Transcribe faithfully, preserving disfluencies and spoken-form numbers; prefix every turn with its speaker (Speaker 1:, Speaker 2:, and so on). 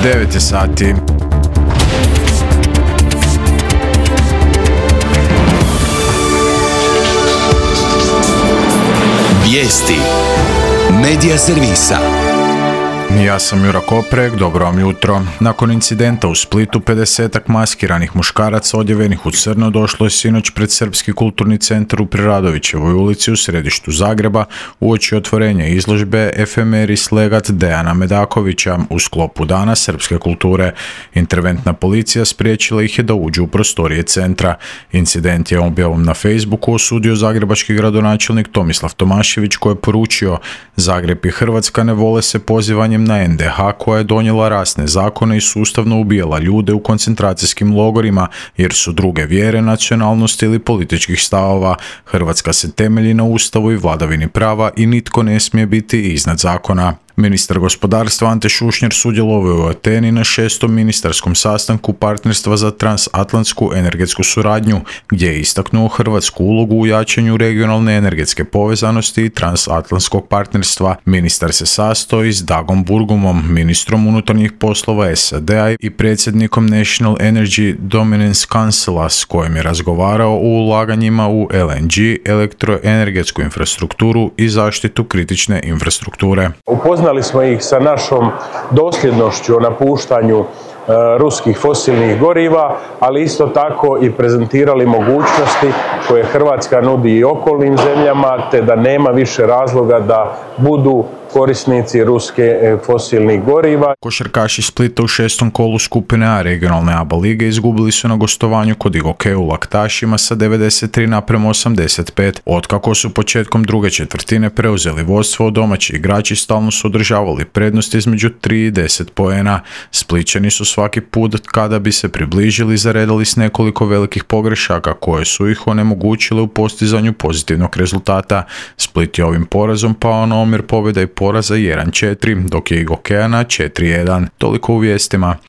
Speaker 1: devet je sati.
Speaker 2: Vijesti Medija servisa.
Speaker 1: Ja sam Jura Koprek, dobro vam jutro. Nakon incidenta u Splitu, pedesetak maskiranih muškaraca odjevenih u crno došlo je sinoć pred Srpski kulturni centar u Preradovićevoj ulici u središtu Zagreba uoči otvorenja izložbe Efemeris Legat Dejana Medakovića u sklopu Dana srpske kulture. Interventna policija spriječila ih je da uđu u prostorije centra. Incident je objavom na Facebooku osudio zagrebački gradonačelnik Tomislav Tomašević, koji je poručio: Zagreb i Hrvatska ne vole se pozivanjem na en de ha koja je donijela rasne zakone i sustavno ubijala ljude u koncentracijskim logorima jer su druge vjere, nacionalnosti ili političkih stavova. Hrvatska se temelji na Ustavu i vladavini prava i nitko ne smije biti iznad zakona. Ministar gospodarstva Ante Šušnjar sudjelovao je u Ateni na šestom ministarskom sastanku partnerstva za transatlantsku energetsku suradnju, gdje je istaknuo hrvatsku ulogu u jačanju regionalne energetske povezanosti i transatlantskog partnerstva. Ministar se sastoji s Dagom Burgumom, ministrom unutarnjih poslova es a de a i predsjednikom National Energy Dominance Councila, s kojim je razgovarao o ulaganjima u el en ge, elektroenergetsku infrastrukturu i zaštitu kritične infrastrukture.
Speaker 3: Upoznali smo ih sa našom dosljednošću o napuštanju e, ruskih fosilnih goriva, ali isto tako i prezentirali mogućnosti koje Hrvatska nudi i okolnim zemljama, te da nema više razloga da budu korisnici ruske fosilnih goriva.
Speaker 1: Košarkaši Splita u šestom kolu skupine A regionalne A B A lige izgubili su na gostovanju kod Igoke u Laktašima sa devedeset tri naprema osamdeset pet. Otkako su početkom druge četvrtine preuzeli vodstvo, domaći igrači stalno su održavali prednost između tri i deset poena. Splićani su svaki put kada bi se približili zaredali s nekoliko velikih pogrešaka koje su ih onemogućile u postizanju pozitivnog rezultata. Split je ovim porazom pao na omjer pobjeda i poraza jedan četiri, dok je Igokeja na četiri jedan. Toliko u vijestima.